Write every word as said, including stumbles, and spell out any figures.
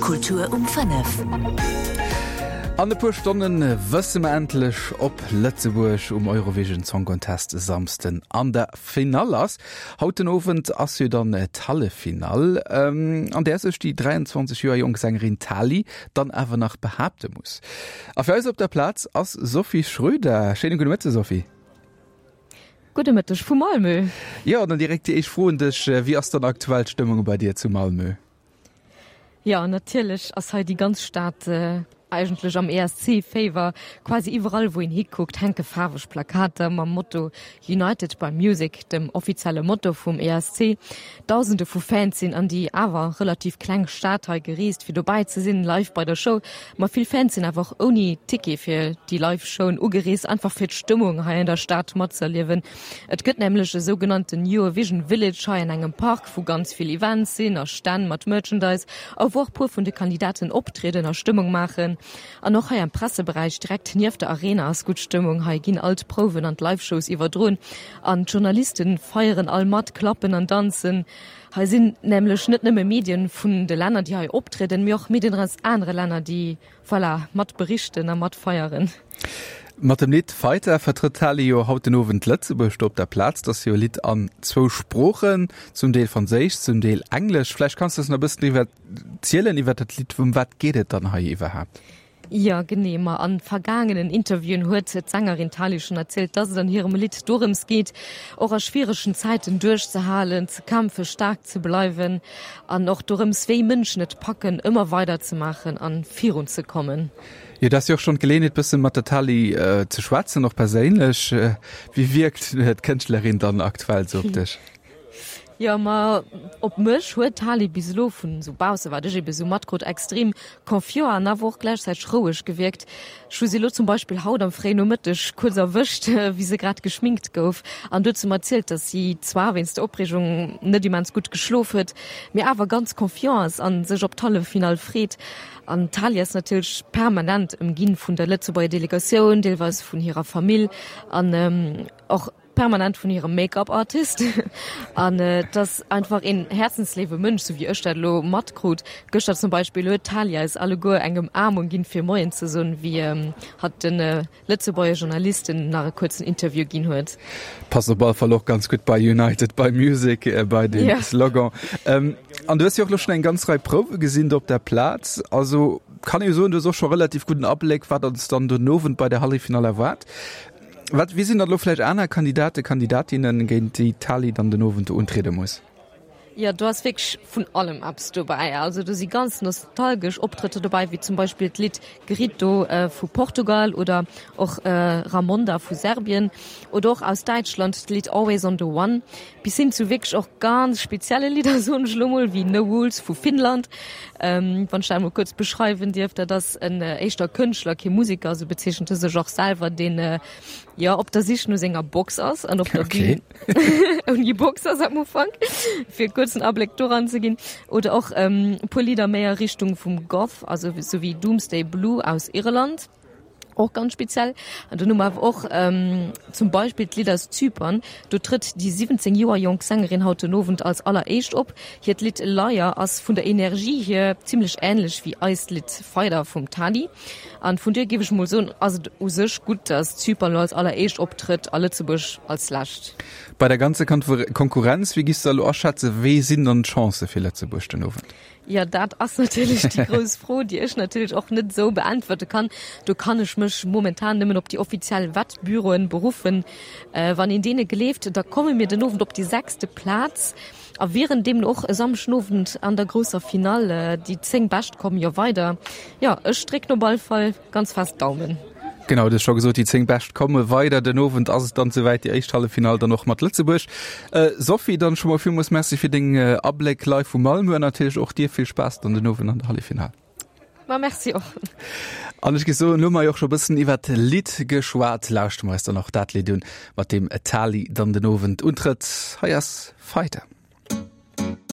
Kultur um fënnef. An e puer Stonne wësse mer endlech, ob Lëtzebuerg um Eurovision Song Contest e Samsden an der Finall ass. Haut den Owend ass jo dann d'Halleffinall, an där sech déi dräianzwanzeg Joer jonk Sängerin Tali dann awer nach behaapte muss. A fir eis op der Plaz ass Sophie Schröder. Schéine gudde Mëtte Sophie. Gudde Mëtteg vu Malmö. Jo, dann direkt déi éischt Fro un dech, Wéi ass dann aktuell d'Stëmmung bei dir zu Malmö? Jo, natierlech ass hei déi ganz Stad eigentlech am E S C-Féiwer. Quasi iwwerall wou een hikuckt, hänke faarweg Plakater mam Motto United by Music, dem offizielle Motto vum E S C. Dausende vu Fans sinn an déi awer relativ kleng Stad hei gereest, fir dobäi ze sinn, live bei der Show. Ma vill Fans sinn awer och ouni Ticket fir déi live Showen ugereest, einfach fir d'Stëmmung hei an der Stad matzëerliewen. Et gëtt nämlech e sougenannten Eurovision Village hei an engem Park, wou ganz vill Events sinn a Stänn mat Merchandise a wou och puer vun de Kandidaten optrieden a Stëmmung maachen. An och hei am Presseberäich direkt nieft der Arena ass gutt Stëmmung. Hei ginn all d'Prouwen an d'Live-Shows iwwerdroen an d'Journalisten feieren all mat, klappen an danzen. Hei sinn nämlech net nëmme Medien vun de Länner, déi hei optrieden, mee och Medien aus anere Länner, déi, voilà, mat berichten a mat feieren. Mat dem Lidd Fighter vertrëtt d'Tali jo haut den Owend Lëtzebuerg do op der Plaz. Dat ass jo e Lidd an zwou Sproochen, zum Deel Franséisch, zum Deel Englesch. Vläicht kanns du eis nach e bëssen driwwer zielen, iwwer dat Lidd. Ëm wat geet et dann hei iwwerhaapt? Jo, genee. Ma a vergaangenen Interviewen huet d'Sängerin Tali schonn erzielt, dass et an hirem Lidd dorëms geet, och a schwieregen Zäiten duerchzehalen, ze kämpfen, staark ze bleiwen an och dorëms, wéi Mënschen et packen, ëmmer weider ze maachen a virun ze kommen. Jo, dat ass jo och schonn d'Geleeënheet, bësse mat der Tali ze schwätzen, och perséinlech. Wéi wierkt d'Kënschtlerin dann aktuell sou op dech? Jo, ma op mech huet d'Tali bis elo, vun esou bausse wat ech ebe sou matkrut, extrem confiant an awer och gläichzäiteg roueg gewierkt. Ech hu si elo zum Beispill haut am fréien Nomëtteg kuerz erwëscht, wéi se grad geschminkt gouf an du huet se mer erzielt, dass si zwar wéinst der Opreegung net immens gutt geschlof huet, mee awer ganz confiant ass an sech op d'Halleffinall freet. An d'Tali ass natierlech permanent ëmginn vun der Lëtzebuerger Delegatioun, deelweis vun hirer Famill an och permanent vun hirem Make-up Artist. An et ass einfach een häerzensléiwe Mënsch, sou wéi ech dat elo matkrut. Gëschter zum Beispill huet d'Tali eis alleguer eng Ëmaarmung ginn, fir Moien ze soen, wéi hatt de Lëtzebuerger Journalisten nach e kuerzen Interview ginn huet. Passt op alle Fall och ganz gutt bei United by Music, bei de Slogan. An du hues jo och elo schonn eng ganz Rei Prouwe gesinn do op der Plaz. Also kann ee jo soen, du hues och scho relativ gudden Abléck, wat ons dann den Owend bei der Halleffinall erwaart. Wat, wie sinn dann elo vläicht aner Kandidaten, Kandidatinnen, géint déi d'Tali dann den Owend do untriede muss? Jo, do ass wierklech vun allem eppes dobäi. Also do si ganz nostalgesch Optrëtter dobäi, wéi zum Beispill d'Lidd Grito vu Portugal oder och Ramonda vu Serbien oder och aus Däitschland d'Lidd Always on the One, bis hin zu wierklech och ganz spezielle Lidder, soen ech elo mol, wéi No Rules vu Finnland. Wann ech dat emol kuerz beschreiwen dierf, dat ass en éischter Kënschtler, kee Museker, esou bezeechent e sech och selwer, deen jo op der Sich no senger Box ass an op der Bühn ouni Box ass am Ufank, fir e kuerzen Abléck doran ze ginn. Oder och e puer Lidder méi a Richtung vum Goth, also sou wéi Doomsday Blue aus Irland, och ganz speziell. An dann hu mer awer och zum Beispill d'Lidd aus Zypern. Do trëtt déi siwwenzéng Joer jonk Sängerin haut den Owend als alleréischt op. Hiert Lidd Liar ass vun der Energie hier zimmlech änlech wéi eist Lidd Fighter vum Tali. An vun duer géif ech mol soen, ass et u sech gutt, dass Zypern lo als alleréischt optrëtt a Lëtzebuerg als lescht. Bei der ganzer Konkurrenz, wéi giffs de elo aschätzen, wéi sinn dann d'Chancë fir Lëtzebuerg den Owend? Jo, dat ass natierlech déi grouss Fro, déi ech natierlech och net esou beäntwerte kann. Do kann ech mech momentan nëmmen op déi offiziell Wettbüroen beruffen. Wann een deene gleeft, da komme mir den Owend op déi sechste Plaz a wieren deemno och e Samschden Owend an der grousser Finall. Déi zéng Bescht kommen jo weider. Jo, ech drécken op all Fall ganz fest d'Daumen. Genau, du hues scho gesot, déi zéng Bescht komme weider. Den Owend ass et dann souwäit, déi éischt Halleffinall dann och mat Lëtzebuerg. Sophie, dann scho mol villmools Merci fir deng Abléck live vu Malmö an natierlech och dir vill Spaass dann den Owend an der Halleffinall. Ma merci och. An ech géif soen, elo hu mer jo och scho e bëssen iwwert d'Lidd geschwat, lauschtere mer eis dann och dat Lidd un, mat deem d'Tali dann den Owend untrëtt. Hei ass Fighter.